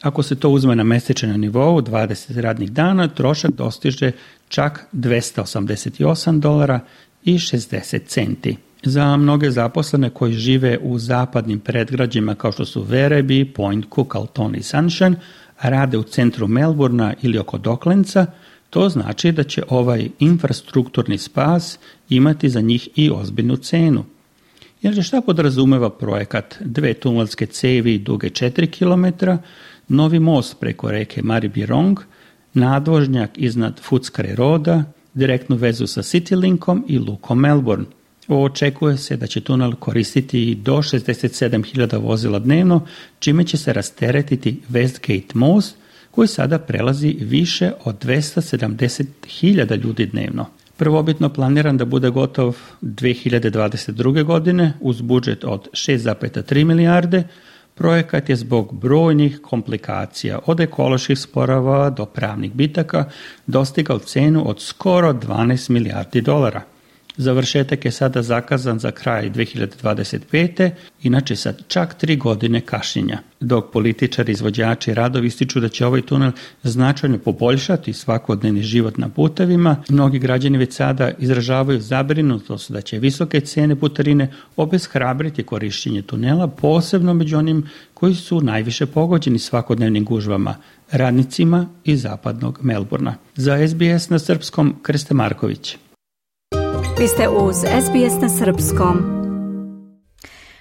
Ako se to uzme na mesečnom nivou dvadeset radnih dana, trošak dostiže čak dvesta osamdeset osam dolara i šezdeset centi. Za mnoge zaposlene koji žive u zapadnim predgrađima kao što su Werribee, Point Cook, Alton i Sunshine, a rade u centru Melbourna ili oko Docklandsa, to znači da će ovaj infrastrukturni spas imati za njih i ozbiljnu cenu. Jer šta podrazumeva projekat? Dve tunelske cevi duge četiri kilometra, novi most preko reke Maribyrnong, nadvožnjak iznad Footscray Roada, direktnu vezu sa Citylinkom i lukom Melbourne. Očekuje se da će tunel koristiti do šezdeset sedam hiljada vozila dnevno, čime će se rasteretiti Westgate most, koji sada prelazi više od dvesta sedamdeset hiljada ljudi dnevno. Prvobitno planiran da bude gotov dve hiljade dvadeset druge. godine uz budžet od šest zarez tri milijarde, projekat je zbog brojnih komplikacija, od ekoloških sporova do pravnih bitaka, dostigao cenu od skoro dvanaest milijardi dolara. Završetak je sada zakazan za kraj dve hiljade dvadeset pete. inače sad čak tri godine kašnjenja. Dok političari, izvođači radovi ističu da će ovaj tunel značajno poboljšati svakodnevni život na putevima, mnogi građani već sada izražavaju zabrinutost da će visoke cene putarine obeshrabriti korišćenje tunela, posebno među onim koji su najviše pogođeni svakodnevnim gužvama, radnicima iz zapadnog Melbourna. Za S B S na srpskom, Krste Marković. Vi ste uz S B S na srpskom.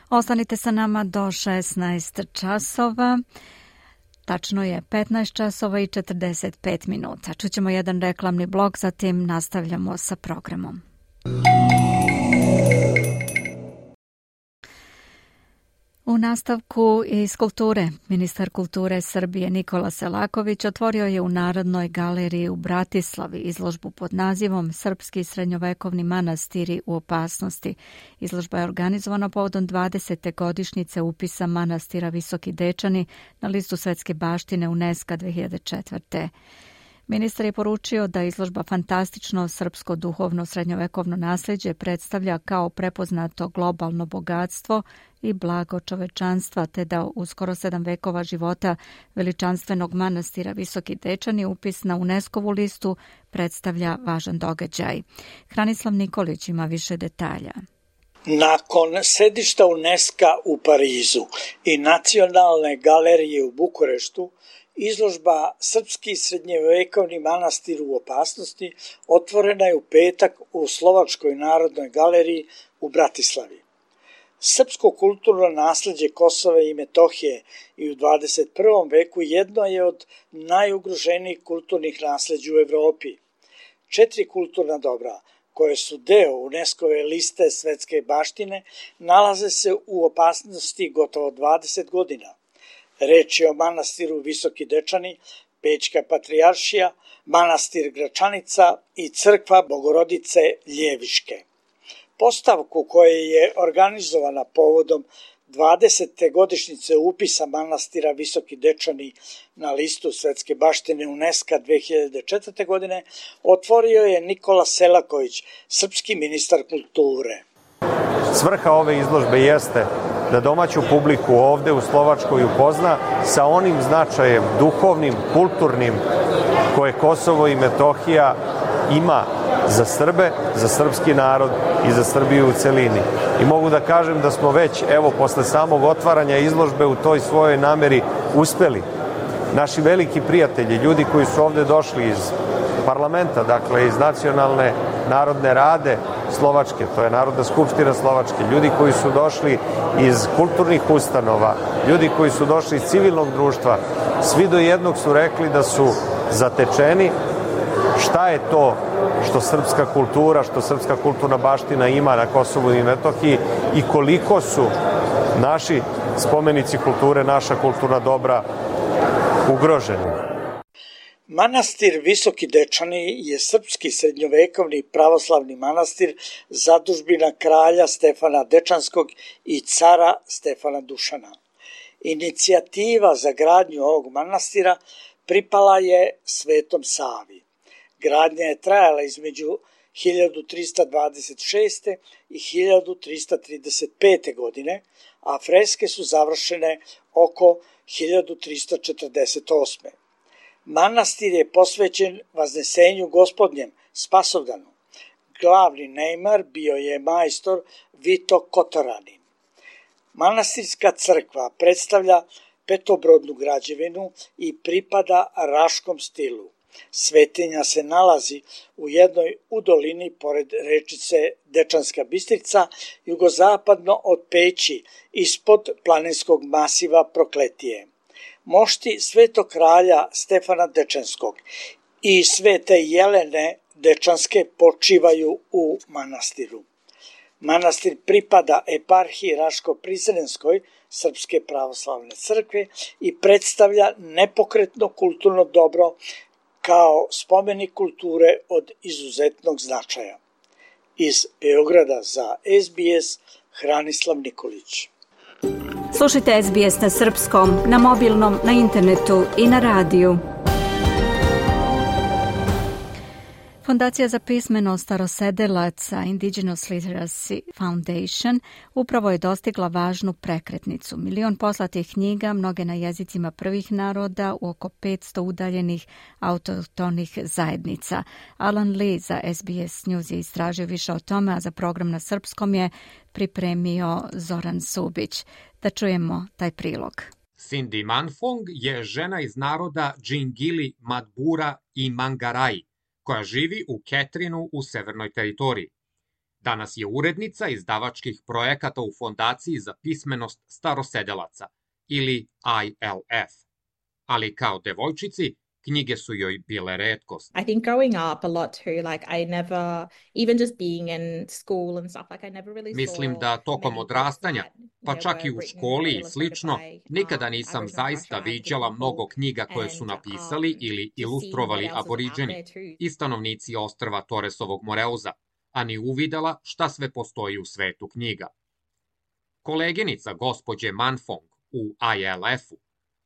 Ostanite sa nama do šesnaest časova. Tačno je petnaest časova i četrdeset pet minuta. Čućemo jedan reklamni blok, zatim nastavljamo sa programom. U nastavku iz kulture, ministar kulture Srbije Nikola Selaković otvorio je u Narodnoj galeriji u Bratislavi izložbu pod nazivom Srpski srednjovekovni manastiri u opasnosti. Izložba je organizovana povodom dvadesete godišnjice upisa manastira Visoki Dečani na listu svetske baštine UNESCO dve hiljade četvrte. Ministar je poručio da izložba fantastično srpsko duhovno srednjovekovno nasljeđe predstavlja kao prepoznato globalno bogatstvo i blago čovečanstva, te da u skoro sedam vekova života veličanstvenog manastira Visoki Dečani upis na UNESCO-vu listu predstavlja važan događaj. Hranislav Nikolić ima više detalja. Nakon sedišta UNESCO u Parizu i Nacionalne galerije u Bukureštu, izložba Srpski srednjovekovni manastir u opasnosti otvorena je u petak u Slovačkoj narodnoj galeriji u Bratislavi. Srpsko kulturno nasljeđe Kosova i Metohije i u dvadeset prvom veku jedno je od najugroženijih kulturnih nasljeđa u Evropi. Četiri kulturna dobra, koje su deo UNESCO-ve liste svetske baštine, nalaze se u opasnosti gotovo dvadeset godina. Reč je o manastiru Visoki Dečani, Pećka patrijaršija, manastir Gračanica i crkva Bogorodice Ljeviške. Postavku koja je organizovana povodom dvadesete godišnjice upisa manastira Visoki Dečani na listu svetske baštine UNESCO dve hiljade četvrte. godine otvorio je Nikola Selaković, srpski ministar kulture. Svrha ove izložbe jeste da domaću publiku ovde u Slovačkoj upozna sa onim značajem duhovnim, kulturnim koje Kosovo i Metohija ima za Srbe, za srpski narod i za Srbiju u celini. I mogu da kažem da smo već, evo, posle samog otvaranja izložbe u toj svojoj nameri uspeli. Naši veliki prijatelji, ljudi koji su ovde došli iz parlamenta, dakle iz Nacionalne narodne rade Slovačke, to je Narodna skupština Slovačke, ljudi koji su došli iz kulturnih ustanova, ljudi koji su došli iz civilnog društva, svi do jednog su rekli da su zatečeni šta je to što srpska kultura, što srpska kulturna baština ima na Kosovu i Metohiji i koliko su naši spomenici kulture, naša kulturna dobra ugroženi. Manastir Visoki Dečani je srpski srednjovekovni pravoslavni manastir zadužbina kralja Stefana Dečanskog i cara Stefana Dušana. Inicijativa za gradnju ovog manastira pripala je Svetom Savi. Gradnja je trajala između hiljadu trista dvadeset šeste. i hiljadu trista trideset pete. godine, a freske su završene oko hiljadu trista četrdeset osme. Manastir je posvećen Vaznesenju Gospodnjem, Spasovdanu. Glavni neimar bio je majstor Vito Kotoranin. Manastirska crkva predstavlja petobrodnu građevinu i pripada raškom stilu. Svetinja se nalazi u jednoj udolini pored rečice Dečanska Bistrica, jugozapadno od Peći, ispod planinskog masiva Prokletije. Mošti svetog kralja Stefana Dečanskog i svete Jelene Dečanske počivaju u manastiru. Manastir pripada eparhiji Raško-Prizrenskoj Srpske pravoslavne crkve i predstavlja nepokretno kulturno dobro kao spomenik kulture od izuzetnog značaja. Iz Beograda za S B S, Hranislav Nikolić. Slušajte S B S na srpskom, na mobilnom, na internetu i na radiju. Fondacija za pismenost starosedelaca Indigenous Literacy Foundation upravo je dostigla važnu prekretnicu. Milion poslatih knjiga, mnoge na jezicima prvih naroda u oko petsto udaljenih autohtonih zajednica. Alan Lee za S B S News je istražio više o tome, a za program na srpskom je pripremio Zoran Subić. Da čujemo taj prilog. Cindy Manfong je žena iz naroda Džingili, Madbura i Mangarai, koja živi u Ketrinu u Severnoj teritoriji. Danas je urednica izdavačkih projekata u Fondaciji za pismenost starosedelaca, ili I L F. Ali kao devojčici, knjige su joj bile retkost. I think growing up a lot too, like I never, even just being in school and stuff, like I never really saw. Mislim da tokom odrastanja, pa čak i u školi i slično, nikada nisam zaista viđala mnogo knjiga koje su napisali ili ilustrovali aboriđeni i stanovnici ostrva Torresovog Moreuza, a ni uvidela šta sve postoji u svetu knjiga. Koleginica gospođe Manfong u I L F-u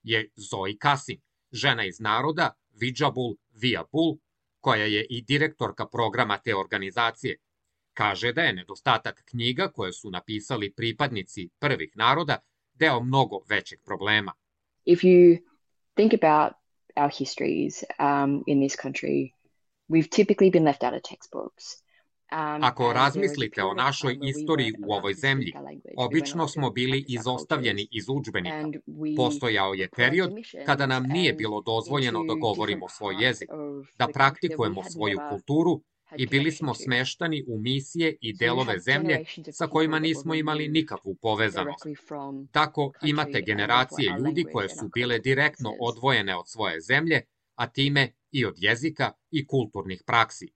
je Zoe Kasim, žena iz naroda Vidžabul Viabul, koja je i direktorka programa te organizacije. Kaže da je nedostatak knjiga koje su napisali pripadnici prvih naroda deo mnogo većeg problema. If you think about our histories um, in this country, we've typically been left out of textbooks. Ako razmislite o našoj istoriji u ovoj zemlji, obično smo bili izostavljeni iz udžbenika. Postojao je period kada nam nije bilo dozvoljeno da govorimo svoj jezik, da praktikujemo svoju kulturu i bili smo smeštani u misije i delove zemlje sa kojima nismo imali nikakvu povezanost. Tako imate generacije ljudi koje su bile direktno odvojene od svoje zemlje, a time i od jezika i kulturnih praksi.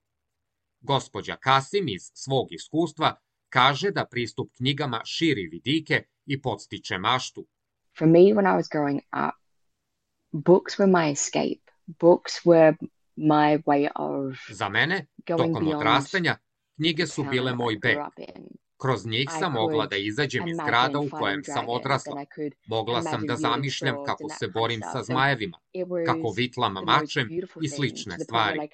Gospođa Kasim iz svog iskustva kaže da pristup knjigama širi vidike i podstiče maštu. For me, when I was growing up, books were my escape. Books were my way of Za mene, tokom odrastanja, knjige su bile moj beg. Kroz njih sam mogla da izađem iz grada u kojem sam odrasla. Mogla sam da zamišljam kako se borim sa zmajevima, kako vitlam mačem i slične stvari.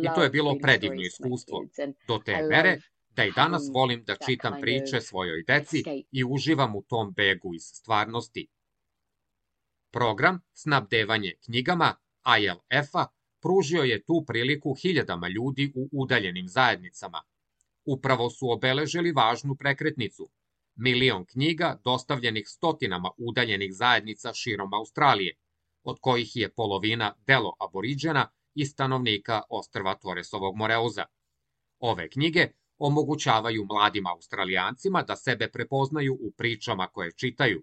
I to je bilo predivno iskustvo, do te mere da i danas volim da čitam priče svojoj deci i uživam u tom begu iz stvarnosti. Program Snabdevanje knjigama I L F-a pružio je tu priliku hiljadama ljudi u udaljenim zajednicama. Upravo su obeležili važnu prekretnicu. Milion knjiga dostavljenih stotinama udaljenih zajednica širom Australije, od kojih je polovina delo aboriđena i stanovnika ostrva Torresovog Moreuza. Ove knjige omogućavaju mladim Australijancima da sebe prepoznaju u pričama koje čitaju.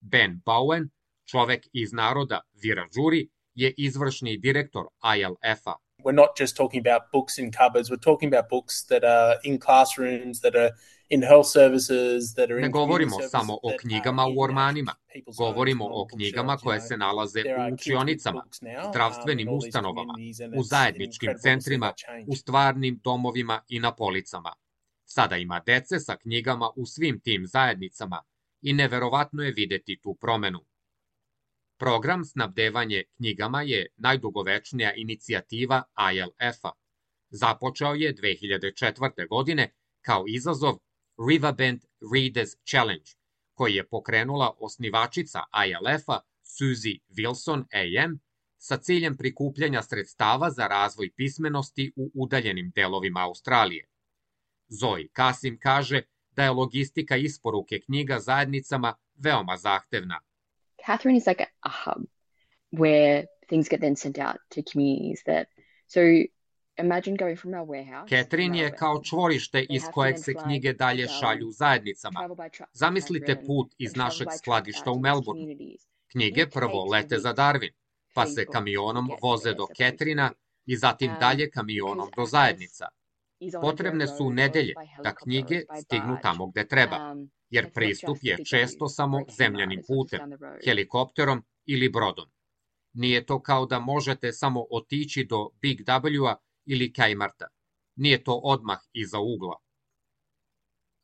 Ben Bowen, čovek iz naroda Wiradjuri, je izvršni direktor I L F-a. We're not just talking about books in cupboards, we're talking about books that are in classrooms, that are in health services, that are in Ne govorimo samo o knjigama u ormanima, govorimo o knjigama koje se nalaze u učionicama, zdravstvenim ustanovama, u zajedničkim centrima, u stvarnim domovima i na policama. Sada ima dece sa knjigama u svim tim zajednicama i neverovatno je videti tu promenu. Program snabdevanje knjigama je najdugovečnija inicijativa I L F-a. Započeo je dve hiljade četvrte. godine kao izazov Riverbend Readers Challenge, koji je pokrenula osnivačica I L F-a Susie Wilson A M sa ciljem prikupljanja sredstava za razvoj pismenosti u udaljenim delovima Australije. Zoe Kasim kaže da je logistika isporuke knjiga zajednicama veoma zahtevna. Catherine is like a hub where things get then sent out to communities that, so imagine going from our warehouse. Catherine je kao čvorište iz kojeg se knjige dalje šalju zajednicama. Zamislite put iz našeg skladišta u Melbourneu. Knjige prvo lete za Darwin, pa se kamionom voze do Catherina i zatim dalje kamionom do zajednica. Potrebne su nedelje da knjige stignu tamo gde treba, jer pristup je često samo zemljanim putem, helikopterom ili brodom. Nije to kao da možete samo otići do Big W-a ili Kmarta. Nije to odmah iza ugla.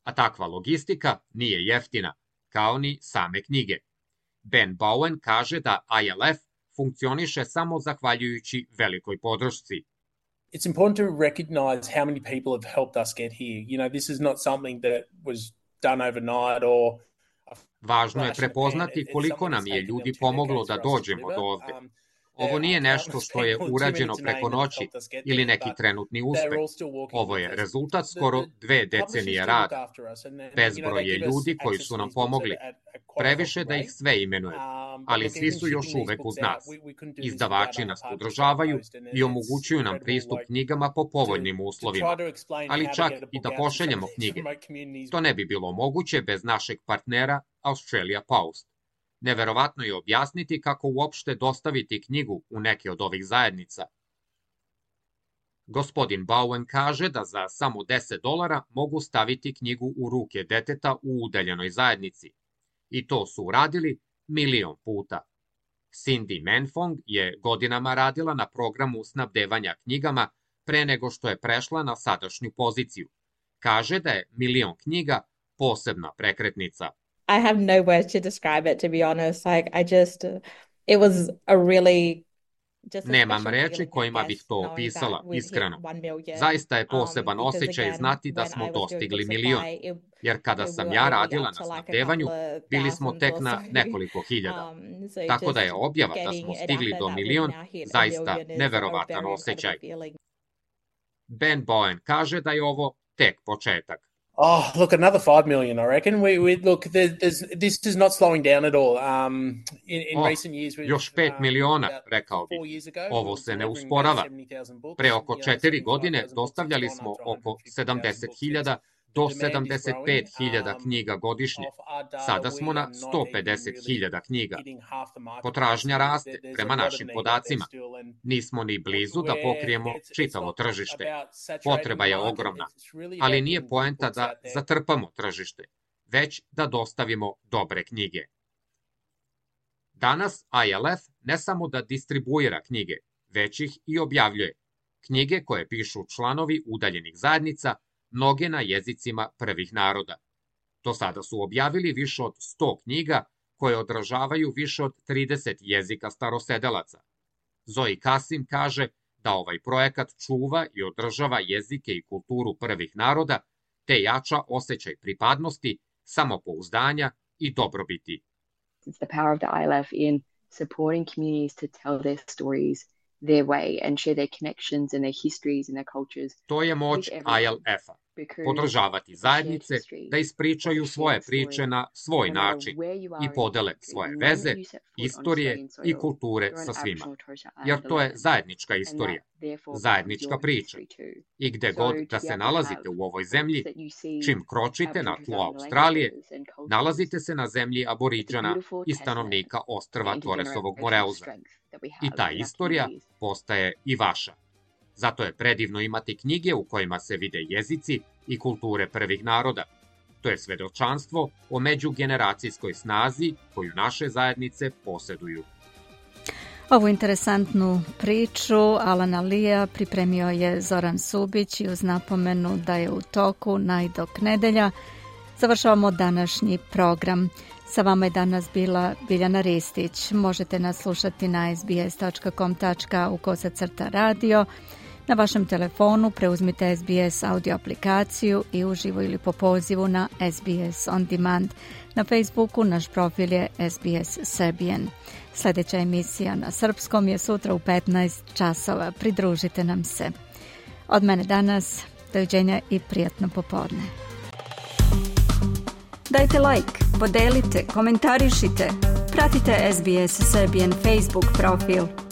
A takva logistika nije jeftina, kao ni same knjige. Ben Bowen kaže da I L F funkcioniše samo zahvaljujući velikoj podršci. It's important to recognize how many people have helped us get here. You know, this is not something that was done overnight or... Važno je prepoznati koliko nam je ljudi pomoglo da dođemo do ovde. Ovo nije nešto što je urađeno preko noći ili neki trenutni uspeh. Ovo je rezultat skoro dve decenije rada. Bezbroj je ljudi koji su nam pomogli. Previše da ih sve imenujem, ali svi su još uvek uz nas. Izdavači nas podržavaju i omogućuju nam pristup knjigama po povoljnim uslovima, ali čak i da pošaljemo knjige. To ne bi bilo moguće bez našeg partnera Australia Post. Neverovatno je objasniti kako uopšte dostaviti knjigu u neke od ovih zajednica. Gospodin Bowen kaže da za samo deset dolara mogu staviti knjigu u ruke deteta u udaljenoj zajednici. I to su uradili milion puta. Cindy Menfong je godinama radila na programu snabdevanja knjigama pre nego što je prešla na sadašnju poziciju. Kaže da je milion knjiga posebna prekretnica. I have no words to describe it, to be honest. Like, I just, it was a really... Nemam reči kojima bih to opisala, iskreno. Zaista je poseban osjećaj znati da smo dostigli milion, jer kada sam ja radila na snabdevanju, bili smo tek na nekoliko hiljada. Tako da je objava da smo stigli do milion zaista neverovatan osjećaj. Ben Bowen kaže da je ovo tek početak. Oh, look, another five million, I reckon. We, we look, there's, this is not slowing down at all. Um, in, in oh, recent years, we've, još pet miliona, rekao bih. Ovo se ne usporava. Pre oko četiri godine dostavljali smo oko sedamdeset hiljada do sedamdeset pet hiljada knjiga godišnje. Sada smo na sto pedeset hiljada knjiga. Potražnja raste prema našim podacima. Nismo ni blizu da pokrijemo čitavo tržište. Potreba je ogromna, ali nije poenta da zatrpamo tržište, već da dostavimo dobre knjige. Danas I L F ne samo da distribuira knjige, već ih i objavljuje. Knjige koje pišu članovi udaljenih zajednica, mnoge na jezicima prvih naroda. Do sada su objavili više od sto knjiga koje odražavaju više od trideset jezika starosedelaca. Zoe Kasim kaže da ovaj projekat čuva i održava jezike i kulturu prvih naroda, te jača osjećaj pripadnosti, samopouzdanja i dobrobiti. It's the power of the I L F in supporting communities to tell their stories their way and share their connections and their histories and their cultures. To je moć I L F-a. podržavati zajednice da ispričaju svoje priče na svoj način i podele svoje veze, istorije i kulture sa svima. Jer to je zajednička istorija, zajednička priča. I gde god da se nalazite u ovoj zemlji, čim kročite na tlo Australije, nalazite se na zemlji Aboriđana i stanovnika ostrva Torresovog Moreuza. I ta istorija postaje i vaša. Zato je predivno imati knjige u kojima se vide jezici i kulture prvih naroda. To je svedočanstvo o međugeneracijskoj snazi koju naše zajednice poseduju. Ovu interesantnu priču Alana Lea pripremio je Zoran Subić i uz napomenu da je u toku najdok nedelja završavamo današnji program. Sa vama je danas bila Biljana Ristić. Možete nas slušati na sbs.com u kosacrta radio. Na vašem telefonu preuzmite S B S audio aplikaciju i uživo ili po pozivu na S B S On Demand. Na Facebooku naš profil je S B S Serbian. Sljedeća emisija na srpskom je sutra u petnaest časova. Pridružite nam se. Od mene danas, doviđenja i prijatno popodne. Dajte like, podelite, komentarišite. Pratite S B S Serbian Facebook profil.